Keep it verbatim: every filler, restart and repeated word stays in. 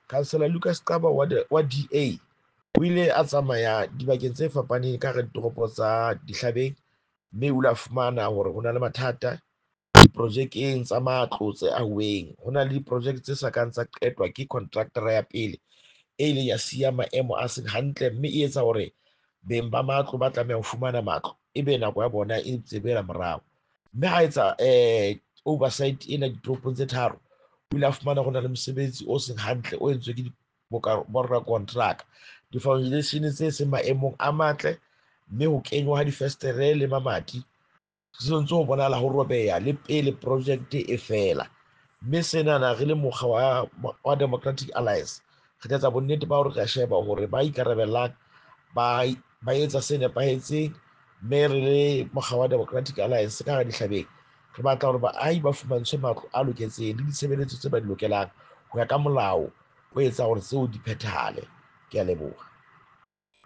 Councillor Lucas Xaba wa, wa D A o ile a tsamaya dibakeng tse fapaneng ka hara ditoropo tsa Dihlabeng, mme o ile a fumana hore ho na le mathata diprojekeng tsa matlo tse ahuweng. Ho na le diprojeke tse sa kang tsa qetwa ke contractor ya pele e ileng ya siya maemo a seng hantle, mme e etsa hore beng ba matlo ba tlameha ho fumana matlo ebe nako ya bona e tsebela morao. Mme ha etsa eh oversight ena ditoropong tse tharo, o ile a fumana ho na le mosebetsi o seng hantle o entswe ke borakontraka, di-foundation tse seng maemong a matle, mme ho kenywa ha difestere le mamati se ntse ho bonahala ho robeha le pele project e fela. Mme senana re le mokga wa, wa Democratic Alliance re tla etsa bonnete ba hore re a sheba hore ba ikarabellang ba, ba etsa se nepahetseng, mme re le mokga wa Democratic Alliance ka hara Dihlabeng re batla hore baahi ba fumantshwe matlo a loketseng le ditshebeletso tse ba di lokelang ho ya ka molao o etsa hore tseo di phethahale. Ke a leboha.